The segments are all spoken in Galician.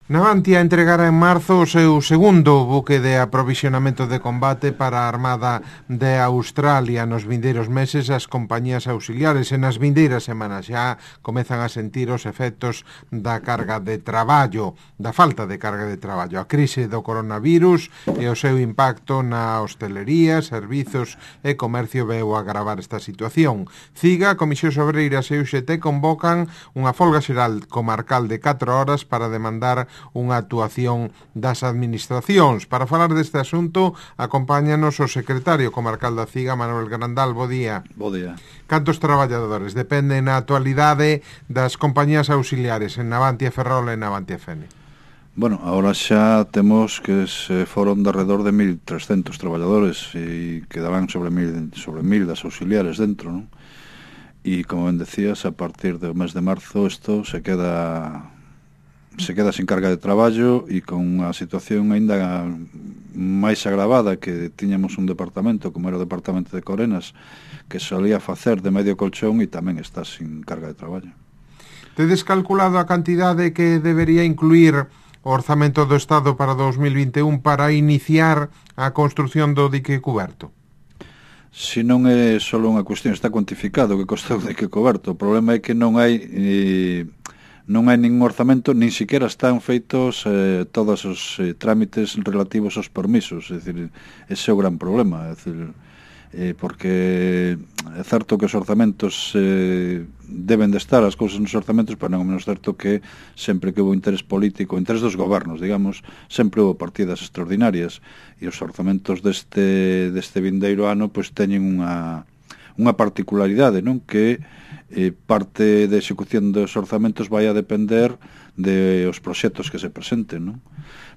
Navantia entregará en marzo o seu segundo buque de aprovisionamento de combate para a Armada de Australia. Nos vindeiros meses as compañías auxiliares e nas vindeiras semanas xa comezan a sentir os efectos da carga de traballo, da falta de carga de traballo. A crise do coronavirus e o seu impacto na hostelería, servizos e comercio veu agravar esta situación. CIGA, Comisións Obreiras e UGT convocan unha folga xeral comarcal de 4 horas para demandar unha actuación das administracións. Para falar deste asunto, acompáñanos o secretario comarcal da CIGA, Manuel Grandal. Bo día. Bo día. Cantos traballadores dependen na actualidade das compañías auxiliares en Navantia Ferrol e Navantia Fene? Bueno, ahora xa temos que se foron de alrededor de 1.300 traballadores e quedarán sobre 1.000 das auxiliares dentro, non? E como ben decías, a partir do mes de marzo isto se queda sin carga de traballo e con unha situación aínda máis agravada, que tiñamos un departamento como era o departamento de Corenas que solía facer de medio colchón e tamén está sin carga de traballo. Tedes calculado a cantidade que debería incluir o orzamento do Estado para 2021 para iniciar a construción do dique cuberto? Si non é só unha cuestión, está cuantificado que costa o dique coberto. O problema é que non hai ningún orzamento, nin siquiera están feitos todos os trámites relativos aos permisos. É dicir, ese é o gran problema. É dicir, porque é certo que os orzamentos deben de estar as cousas nos orzamentos, pero non é menos certo que sempre que houve interés político, interés dos gobernos, digamos, sempre houve partidas extraordinarias, e os orzamentos deste vindeiro ano pois teñen unha particularidade, non? Que parte da execución dos orzamentos vai a depender de os proxectos que se presenten, non?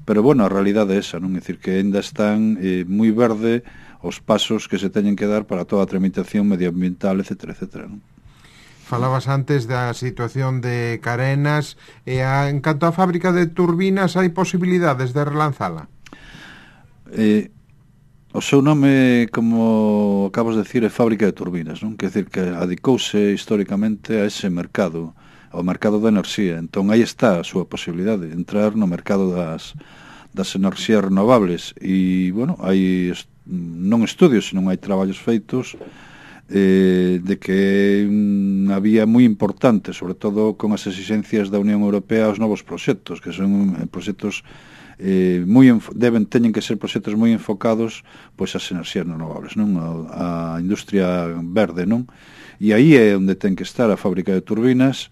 Pero, bueno, a realidade é esa, non? É dicir, que ainda están moi verde os pasos que se teñen que dar para toda a tramitación medioambiental, etcétera, etcétera, non? Falabas antes da situación de Carenas e en canto á fábrica de turbinas, hai posibilidades de relanzala? O seu nome, como acabas de decir, é fábrica de turbinas, non? Quer dizer que adicouse históricamente a ese mercado, ao mercado da enerxía. Entón, aí está a súa posibilidade de entrar no mercado das enerxías renovables. E, bueno, hai non estudios, senón hai traballos feitos de que unha vía moi importante, sobre todo con as exigencias da Unión Europea aos novos proxectos, que son proxectos teñen que ser proxectos moi enfocados pois ás enerxías renovables, non? A industria verde, non? E aí é onde ten que estar a fábrica de turbinas.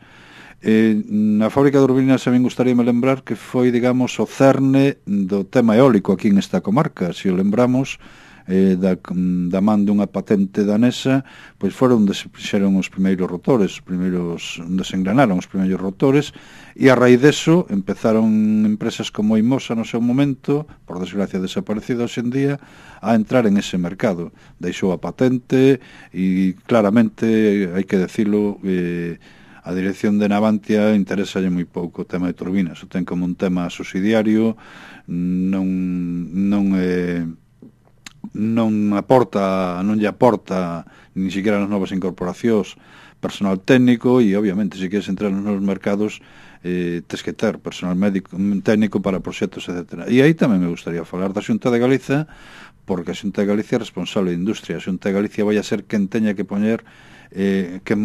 Na fábrica de turbinas a min gustaríame lembrar que foi, digamos, o cerne do tema eólico aquí nesta comarca. Se o lembramos, da man dunha patente danesa, pois foron onde se fixeron os primeiros rotores, onde se engranaron os primeiros rotores, e a raíz deso empezaron empresas como Imosa no seu momento, por desgracia desaparecida hoxe en día, a entrar en ese mercado. Deixou a patente e claramente, hai que decirlo, a dirección de Navantia interésalle moi pouco o tema de turbinas. O ten como un tema subsidiario, non lle aporta nin siquiera nas novas incorporacións personal técnico, e obviamente se queres entrar nos novos mercados tes que ter personal técnico para proxectos, etc. E aí tamén me gustaría falar da Xunta de Galiza, porque a Xunta de Galicia é responsable de industria. A Xunta de Galicia vai a ser quen teña que poñer que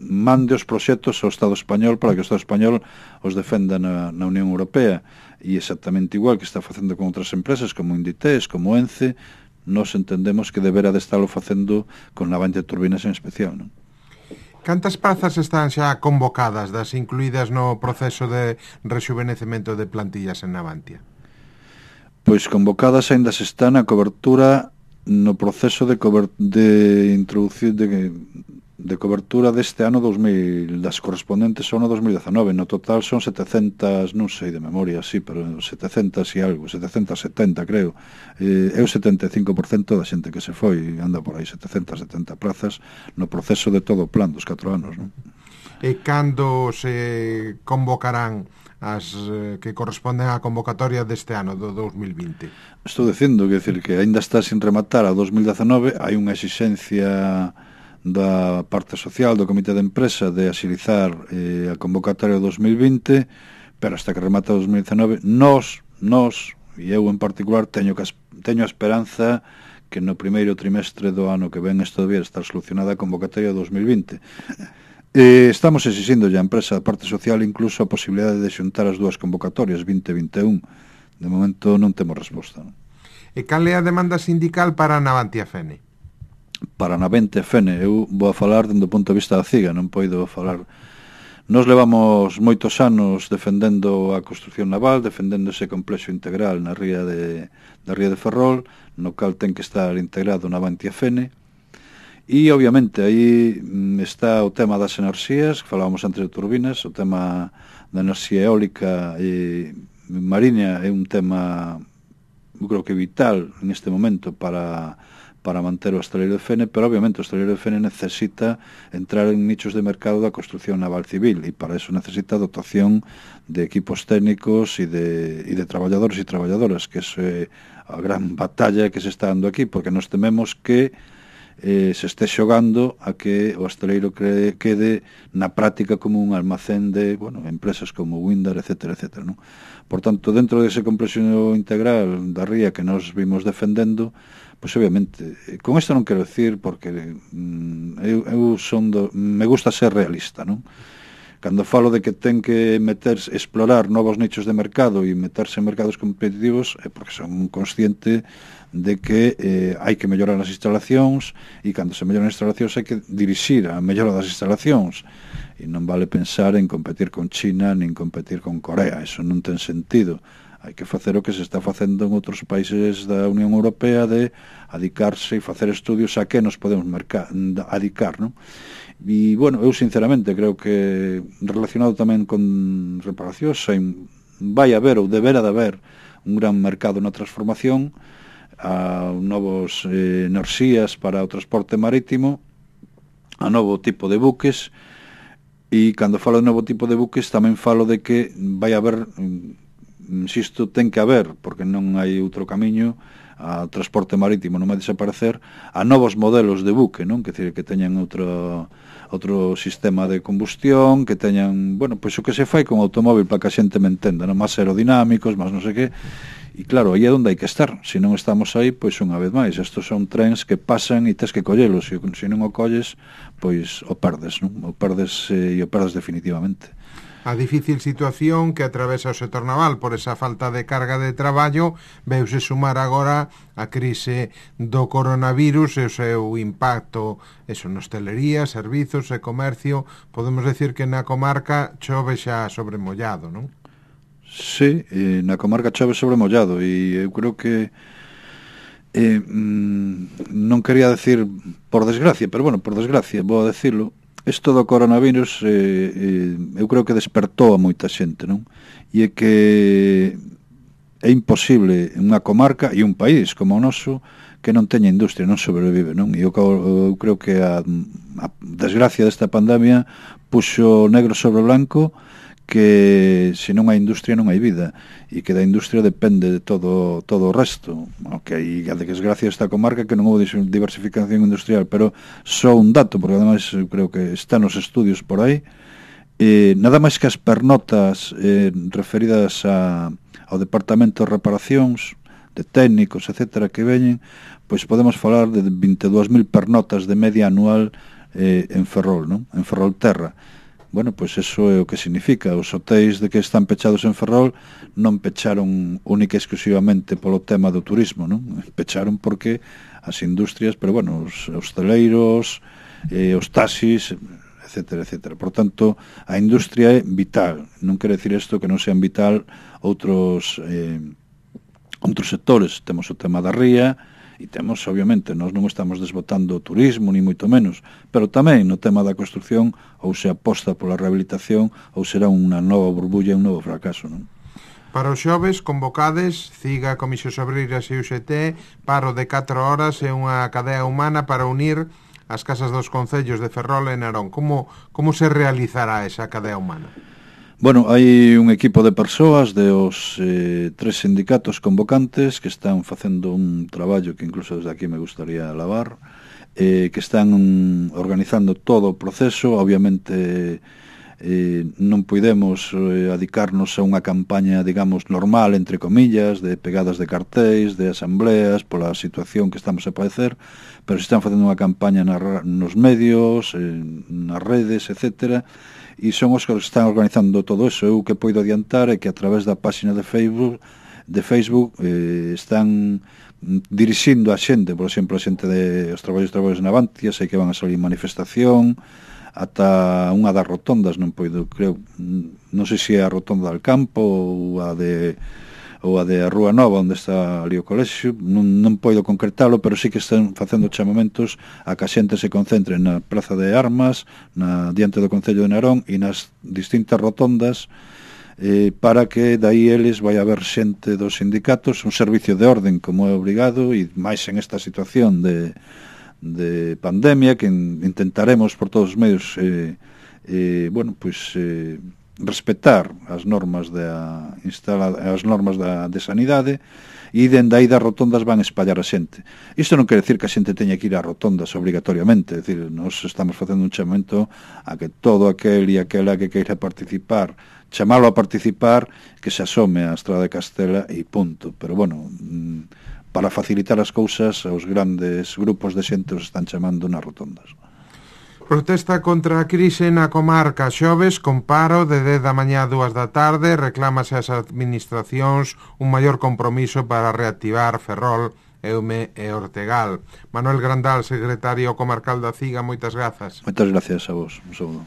mande os proxectos ao Estado español para que o Estado español os defenda na Unión Europea. E exactamente igual que está facendo con outras empresas como Inditex, como Ence, nós entendemos que deberá de estarlo facendo con Navantia Turbinas en especial, non? Cantas prazas están xa convocadas das incluídas no proceso de rexuvenecemento de plantillas en Navantia? Pois convocadas aínda se está na cobertura, no proceso de introducir de cobertura deste ano 2000, das correspondentes ao ano 2019. No total son 700, non sei de memoria, sí, pero 700 e algo, 770 creo. É o 75% da xente que se foi, anda por aí 770 plazas no proceso de todo o plan dos 4 anos, non? E cando se convocarán as que corresponden á convocatoria deste ano, do 2020? Estou dicindo que aínda está sin rematar a 2019, hai unha exixencia da parte social do Comité de Empresa de axilizar a convocatoria 2020, pero hasta que remata 2019 nós, e eu en particular, teño a esperanza que no primeiro trimestre do ano que ven isto debía estar solucionada a convocatoria de 2020. Estamos exixindo a empresa da parte social incluso a posibilidade de xuntar as dúas convocatorias 2021. De momento non temos resposta, non? E cal é a demanda sindical para a Navantia Fene? Para a Navantia Fene, eu vou a falar dende o punto de vista da CIGA, non poido falar. Nos levamos moitos anos defendendo a construción naval, defendendo ese complexo integral na ría de Ferrol, no cal ten que estar integrado Navantia Fene. E, obviamente, aí está o tema das enerxías, que falábamos antes de turbinas, o tema da enerxía eólica e mariña é un tema, eu creo que vital neste momento para manter o estaleiro de Fene, pero obviamente o estaleiro de Fene necesita entrar en nichos de mercado da construción naval civil, e para eso necesita dotación de equipos técnicos e de traballadores e traballadoras, que é a gran batalla que se está dando aquí, porque nos tememos que se este xogando a que o estaleiro quede na práctica como un almacén de empresas como Windar, etcétera, etcétera, non? Por tanto, dentro dese complexo integral da ría que nos vimos defendendo, pois obviamente, con isto non quero decir porque me gusta ser realista, non? Cando falo de que ten que explorar novos nichos de mercado e meterse en mercados competitivos é porque son consciente de que hai que mellorar as instalacións, e cando se melloran as instalacións hai que dirixir a mellora das instalacións, e non vale pensar en competir con China nin competir con Corea, eso non ten sentido. Hai que facer o que se está facendo en outros países da Unión Europea, de adicarse e facer estudios a que nos podemos adicar, non? E, eu sinceramente creo que relacionado tamén con reparacións vai haber ou deberá de haber un gran mercado na transformación a novos enerxías para o transporte marítimo, a novo tipo de buques, e cando falo de novo tipo de buques tamén falo de que vai haber, insisto, ten que haber, porque non hai outro camiño, a transporte marítimo non vai desaparecer, a novos modelos de buque, non? Que teñan outro sistema de combustión, que teñan, pois o que se fai con o automóvil para que a xente me entenda, non? Más aerodinámicos, más non sei que, e claro, aí é onde hai que estar. Se non estamos aí, pois unha vez máis, estos son trens que pasan e tes que collelos, e se non o colles, pois o perdes, non? O perdes e o perdes definitivamente. A difícil situación que atravesa o sector naval por esa falta de carga de traballo veuse sumar agora a crise do coronavirus e o seu impacto na hostelería, servizos e comercio. Podemos decir que na comarca chove xa sobre mollado, non? Sí, na comarca chove sobre mollado, e eu creo que non quería decir por desgracia, pero por desgracia vou a decirlo. Isto do coronavirus eu creo que despertou a moita xente, non? E é que é imposible unha comarca e un país como o noso que non teña industria, non sobrevive, non? E eu creo que a desgracia desta pandemia puxo negro sobre blanco que se non hai industria non hai vida, e que da industria depende de todo o resto. Que hai a desgracia desta comarca que non houve diversificación industrial, pero só un dato, porque ademais eu creo que está nos estudios por aí, nada máis que as pernotas referidas ao departamento de reparacións, de técnicos, etcétera, que veñen, pois podemos falar de 22.000 pernotas de media anual en Ferrol, non? En Ferrol Terra. Pois eso é o que significa. Os hotéis de que están pechados en Ferrol non pecharon única e exclusivamente polo tema do turismo, non? Pecharon porque as industrias, pero os hosteleiros, os taxis, etcétera, etcétera. Por tanto, a industria é vital. Non quere decir isto que non sean vital outros sectores. Temos o tema da ría, e temos, obviamente, nós non estamos desbotando o turismo, ni moito menos, pero tamén no tema da construción, ou se aposta pola rehabilitación, ou será unha nova burbulla, un novo fracaso, non? Para os xoves, convocades, CIGA, Comisións Obreiras e UGT, paro de 4 horas e unha cadea humana para unir as casas dos concellos de Ferrol e Narón. Como se realizará esa cadea humana? Hai un equipo de persoas de os 3 sindicatos convocantes que están facendo un traballo que incluso desde aquí me gustaría alabar, que están organizando todo o proceso. Obviamente non podemos adicarnos a unha campaña, digamos, normal, entre comillas, de pegadas de cartéis, de asambleas, pola situación que estamos a padecer, pero se están facendo unha campaña nos medios, nas redes, etcétera, e son os que están organizando todo eso. Eu que poido adiantar é que a través da página de Facebook están dirixindo a xente, por exemplo, a xente os traballos de Navantia, sei que van a salir manifestación, ata unha das rotondas, non poido, creo, non sei se é a rotonda del campo ou a de a Rúa Nova, onde está ali o colexio, non poido concretalo, pero sí que están facendo chamamentos a que a xente se concentre na Praza de Armas, diante do Concello de Narón e nas distintas rotondas, para que daí eles vai haber xente dos sindicatos, un servicio de orden como é obrigado, e máis en esta situación de pandemia, que intentaremos por todos os medios respetar as normas de sanidade, e dende aí das rotondas van espallar a xente. Isto non quere dicir que a xente teña que ir a rotondas obrigatoriamente, é dicir, nós estamos facendo un chamamento a que todo aquel e aquela que queira participar, chamalo a participar, que se asome á Estrada de Castela e punto. Pero bueno, para facilitar as cousas, os grandes grupos de xente os están chamando nas rotondas. Protesta contra a crise na comarca. Xoves, con paro de 10 da mañá a 2 da tarde, reclámase ás administracións un maior compromiso para reactivar Ferrol, Eume e Ortegal. Manuel Grandal, secretario comarcal da CIGA, moitas grazas. Moitas gracias a vos. Un saúdo.